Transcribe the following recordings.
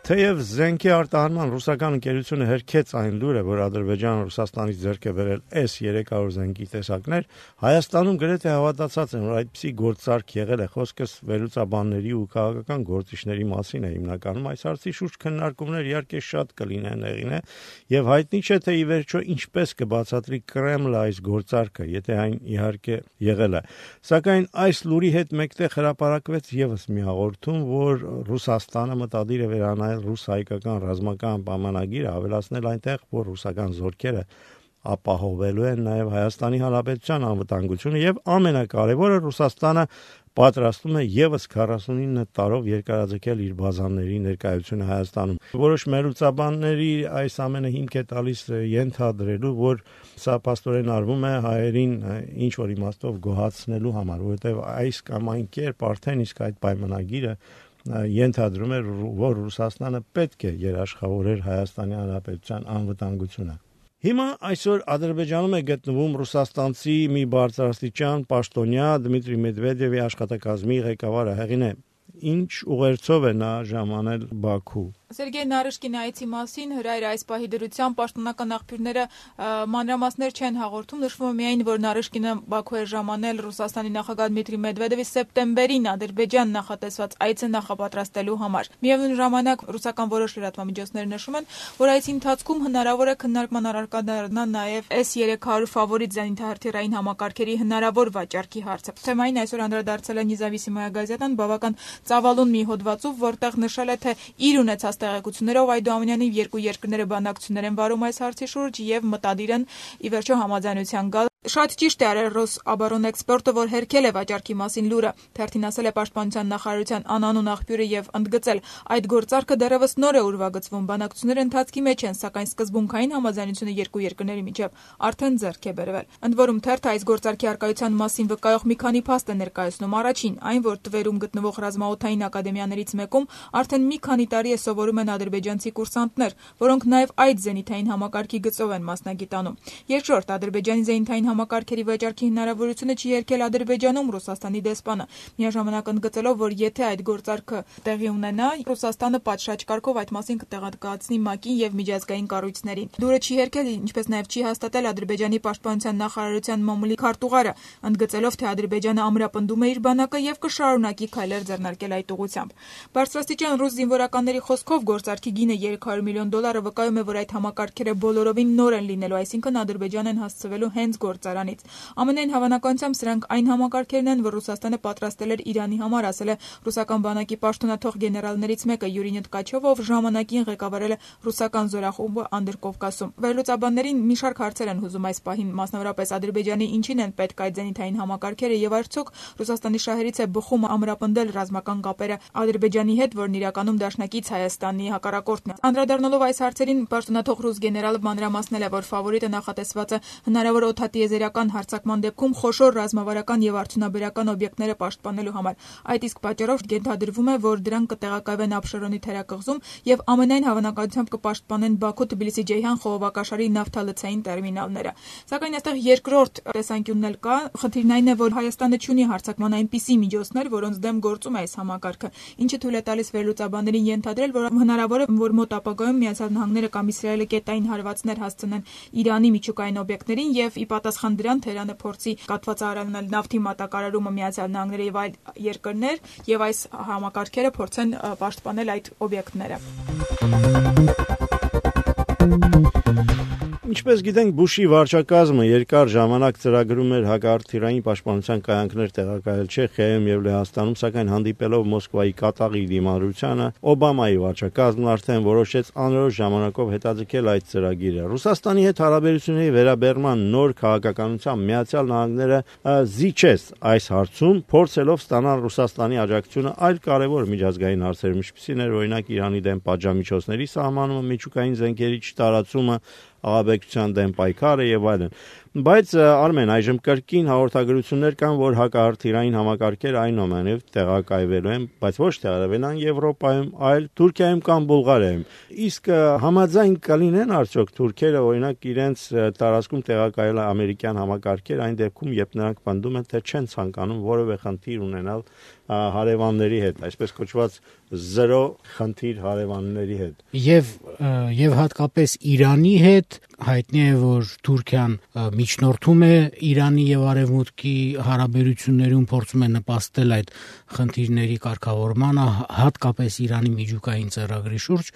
Թեև զենքի արտահանման ռուսական ընկերությունը հերքեց այն լուրը, որ Ադրբեջանը Ռուսաստանից ձեռք է բերել S-300 զենքի տեսակներ, Հայաստանում գրեթե հավատացած են, որ այդպիսի գործարք եղել է, խոսքս վերլուծաբանների ու քաղաքական գործիչների մասին է հիմնականում։ Այս հարցի շուրջ քննարկումներ իհարկե շատ կլինեն, հեղինե, եւ հայտնի չէ թե ի վերջո ինչպես կբացատրի Կրեմլը այս գործարքը, եթե այն իհարկե եղել է։ Սակայն այս լուրի հետ մեկտեղ հրապարակվեց եւս մի հաղորդում, որ Ռուսաստանը մտադիր է վերանայել ռուս-հայկական ռազմական պայմանագիրը, ավելացնել այնտեղ, որ ռուսական զորքերը ապահովելու են նաև Հայաստանի Հանրապետության անվտանգությունը եւ ամենակարևորը Ռուսաստանը պատրաստում է եւս 49 տարով երկարաձգել իր բազաների ներկայությունը Հայաստանում։ Որոշ մերուցաբանների այս ամենը հիմք է տալիս ենթադրելու, որ սա փաստորեն արվում է հայերին ինչ որ իմաստով գոհացնելու համար, որովհետեւ այս կամ այն կերպ արդեն իսկ այդ պայմանագիրը ենթադրում է, որ Ռուսաստանը պետք է երաշխավորեր Հայաստանի Հանրապետության անվտանգությունը։ Հիմա այսօր Ադրբեջանում է գտնվում ռուսաստանցի մի բարձրաստիճան պաշտոնյա Դմիտրի Մեդվեդևի աշխատակազմի ղեկավարը, հեղինե, ինչ ուղերձով է նա ժամանել Բաքու։ Սերգեյ Նարիշկինի այցի մասին հրայր այս պահի դրությամբ պաշտոնական աղբյուրները մանրամասներ չեն հաղորդում, նշվում է միայն, որ Նարիշկինը Բաքու է ժամանել Ռուսաստանի նախագահ Դմիտրի Մեդվեդևի սեպտեմբերին Ադրբեջան նախատեսված այցը նախապատրաստելու համար։ Միևնույն ժամանակ ռուսական որոշ լրատվամիջոցներ նշում են, որ այցի ընթացքում հնարավոր է քննարկման առարկա դառնա նաև S-300 ֆավորիտ զենիթահրթիռային համակարգերի հնարավոր վաճառքի հարցը։ Թեմային այսօր անդրադարձել է Նեզավիսիմոյա գազետան բավական ծավալուն մի հոդվածով, որտեղ նշել է, թե իր ունեցած տեղեկություններով Այդուամենյանի երկու երկրները բանակցություններ են վարում այս հարցի շուրջ եւ մտադիր են ի վերջո համաձայնության գալ։ Շատ ճիշտ է արել Ռոսաբոռնէքսպորտը, որ հերքել է վաճառքի մասին լուրը, թերթին ասել է Պաշտպանության նախարարության անանուն աղբյուրը եւ ընդգծել, այդ գործարքը դեռևս նոր է ուրվագծվում, բանակցությունները ընթացքի մեջ են, սակայն սկզբունքային համաձայնությունը երկու երկրների միջև արդեն ձեռք է բերվել։ Ընդ որում թերթը այս գործարքի արկայության մասին վկայող մի քանի փաստ է ներկայացնում։ Առաջին, այն, որ Տվերում գտնվող ռազմաօդային ակադեմիաներից մեկում արդեն մի քանի տարի է սովորում են ադրբեջանցի կուրսանտներ, որոնք նաեւ այդ զենիթային համակարգի գծով են մասնագիտանում։ Երկրորդ, Ադրբեջանի զենիթային համակարգերի վաճառքի հնարավորությունը չի երկել Ադրբեջանում Ռուսաստանի դեսպանը, միաժամանակ ընդգծելով, որ եթե այդ գործարքը տեղի ունենա, Ռուսաստանը պատշաճ կարգով այդ մասին կտեղեկացնի ՄԱԿ-ին եւ միջազգային կառույցներին։ Լուրը չի երկել, ինչպես նաեւ չի հաստատել Ադրբեջանի պաշտպանության նախարարության մամուլի քարտուղարը, ընդգծելով, թե Ադրբեջանը ամրապնդում է իր բանակը եւ կշարունակի քայլեր ձեռնարկել այդ ուղղությամբ։ Բարձրաստիճան ռուս զինվորականների խոսքով գործարքի գինը $300 միլիոն վկայում է, որ այդ համակարգերը բոլորովին նոր են լինելու, այսինքն Ադրբեջան են հասցվելու հենց գործարանից։ Ամենայն հավանականությամբ սրանք այն համակարգերն են, որ Ռուսաստանը պատրաստել էր Իրանի համար, ասել է ռուսական բանակի պաշտոնաթող գեներալներից մեկը Յուրի Տկաչովը, ով ժամանակին ղեկավարել է ռուսական զորախումբը Անդրկովկասում։ Վերլուծաբաններին մի շարք հարցեր են հուզում այս պահին, մասնավորապես Ադրբեջանի ինչին են պետք այդ զենիթային համակարգերը եւ արդյոք Ռուսաստանի շահերից է բխում ամրապնդել ռազմական կապերը Ադրբեջանի հետ, որն իրականում դաշնակից Հայաստանի հակառակորդն է։ Անդրադառնալով այս հարցերին, պաշտոնաթող ռուս գեներալը մանրամասնել է, որ ֆավորիտը նախատեսված է հնարավոր օդատիեզերական հարձակման դեպքում խոշոր ռազմավարական եւ արդյունաբերական օբյեկտները պաշտպանելու համար։ Այդ իսկ պատճառով ենթադրվում է, որ դրանք կտեղակայվեն Աբշերոնի թերակղզում եւ ամենայն հավանականությամբ կպաշտպանեն Բաքու-Թբիլիսի-Ջեյհան խողովակաշարի նավթալցային տերմինալները։ Սակայն այստեղ երկրորդ տեսանկյունն էլ կա, խնդիրն այն է, որ Հայաստանը չունի հարձակման այնպիսի միջոցներ, որոնց դեմ գործում է այս համակարգը, ինչը թույլ է տալիս վերլուծաբաններին ենթադրել, որ հնարավոր է, որ մոտ ապագայում Միացյալ Նահանգները կամ Իսրայելը կետային հարվածներ հասցնեն Իրանի միջուկային օբյեկտներին եւ ի պատասխան դրան Թեհրանը փորձի կաթվածահարանել նավթի մատակարարումը Միացյալ Նահանգների եւ այլ երկրներ եւ այս համակարգերը փորձեն պաշտպանել այդ օբյեկտները։ Ինչպես գիտենք, Բուշի վարչակազմը երկար ժամանակ ծրագրում էր հակարդիրային պաշտպանության կայանքներ տեղակայել Չեխիայում եւ Լեհաստանում, սակայն հանդիպելով Մոսկվայի կատաղի դիմադրությանը, Օբամայի վարչակազմն արդեն որոշեց անորոշ ժամանակով հետաձգել այդ ծրագիրը։ Ռուսաստանի հետ հարաբերությունների վերաբերման նոր քաղաքականության Միացյալ Նահանգները զիջեց այս հարցում, փորձելով ստանալ Ռուսաստանի աջակցությունը այլ կարևոր միջազգային հարցերում, ինչպիսին էր օրինակ Իրանի դեմ պատժամիջոցների սահմանումը, միջուկային զենքերի չտարածումը, աղաբեկչության դեմ պայքարը եւ այլն։ Բայց Արմեն, այժմ կրկին հաղորդագրություններ կան, որ հակահրթիռային համակարգեր այնուամենայնիվ տեղակայվելու են, բայց ոչ տեղակայվելան Եվրոպայում, այլ Թուրքիայում կամ Բուլղարիայում։ Իսկ համաձայն կլինեն արդյոք թուրքերը օրինակ իրենց տարածքում տեղակայել ամերիկյան համակարգեր այն դեպքում, երբ նրանք պնդում են, թե չեն ցանկանում որևէ խնդիր ունենալ հարևանների հետ, այսպես կոչված զրո խնդիր հարևանների հետ։ Եվ հատկապես Իրանի հետ հայտնի է, որ Թուրքիան միջնորդում է Իրանի եւ Արևմուտքի հարաբերություններում, փորձում է նպաստել այդ խնդիրների կարգավորմանը, հատկապես Իրանի միջուկային ծրագրի շուրջ,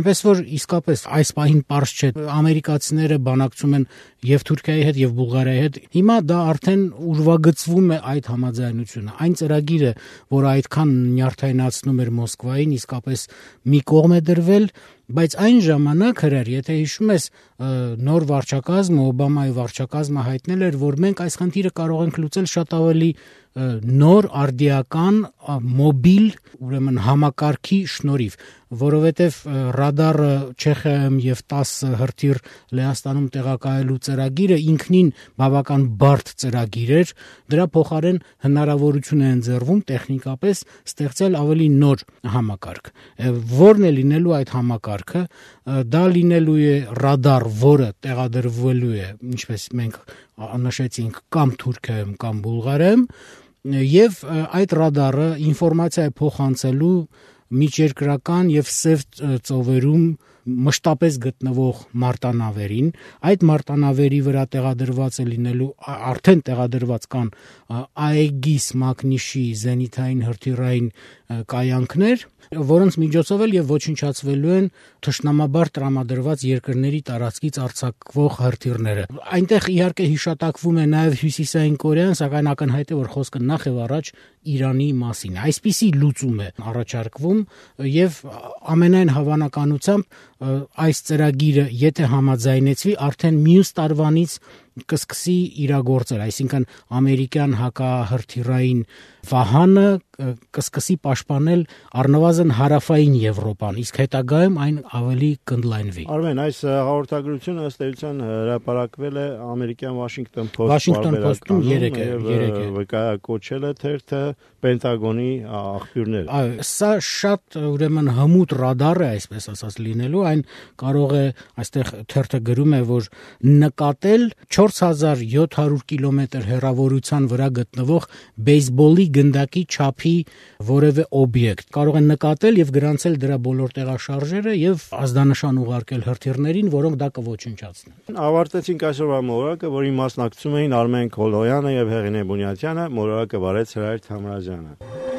այնպես որ իսկապես այս պահին պարզ չէ, ամերիկացիները բանակցում են եւ Թուրքիայի հետ եւ Բուլղարիայի հետ։ Հիմա դա արդեն ուրվագծվում է այդ համաձայնությունը։ Այն ծրագիրը, որ այդքան նյարդայնացնում էր Մոսկվային, իսկապես մի կողմ է դրվել, բայց այն ժամանակ հրեր, եթե հիշում ես, նոր վարչակազմը, Օբամայի վարչակազմը հայտնել էր, որ մենք այս խնդիրը կարող ենք լուծել շատ ավելի նոր արդիական մոբիլ, ուրեմն համակարգի շնորհիվ, որովհետև ռադարը Չեխիայում եւ 10 հրթիռ Լեհաստանում տեղակայելու ծրագիրը ինքնին բավական բարդ ծրագիր էր, դրա փոխարեն հնարավորություն է ընձեռվում տեխնիկապես ստեղծել ավելի նոր համակարգ։ Որն է լինելու այդ համակարգը, դա լինելու է ռադար, որը տեղադրվելու է, ինչպես մենք նշեցինք, կամ Թուրքիայում, կամ Բուլղարիայում, եւ այդ ռադարը ինֆորմացիա է փոխանցելու միջերկրական եւ սև ծովերում մշտապես գտնվող մարտանավերին, այդ մարտանավերի վրա տեղադրված է լինելու, արդեն տեղադրված կան Aegis մակնիշի զենիթային հրթիռային կայանքներ, որոնց միջոցով էլ եւ ոչնչացվելու են թշնամաբար տրամադրված երկրների տարածքից արձակվող հրթիռները։ Այնտեղ իհարկե հիշատակվում է նաեւ Հյուսիսային Կորեան, սակայն ակնհայտ է, որ խոսքը նախ եւ առաջ Իրանի մասին է։ Այսպիսի լուծում է առաջարկվում եւ ամենայն հավանականությամբ այս ծրագիրը, եթե համաձայնեցվի, արդեն մյուս տարվանից կսկսի իրագործել, այսինքն ամերիկյան հակահրթիռային վահանը կսկսի պաշտպանել առնվազն հարավային Եվրոպան, իսկ հետագայում այն ավելի կընդլայնվի։ Արմեն, այս հաղորդագրությունը ըստ էության հրապարակվել է ամերիկյան Washington Post-ում 3 է վկայակոչել է թերթը Պենտագոնի աղբյուրներ։ Սա շատ ուրեմն հմուտ ռադար է, այսպես ասած լինելու, այն կարող է, այստեղ թերթը գրում է, որ նկատել 4700 կիլոմետր հեռավորության վրա գտնվող բեյսբոլի գնդակի չափի որևէ օբյեկտ։ Կարող են նկատել եւ գրանցել դրա բոլոր տեղաշարժերը եւ ազդանշան ուղարկել հրթիռներին, որոնք դա կոչնչացնեն։ Ավարտեցինք այսօրվա մոլորակը, որին մասնակցում էին Արմեն Քոլոյանը եւ Հեղինե Բունյատյանը, մոլորակը վարեց Հրայր Թամրազյանը։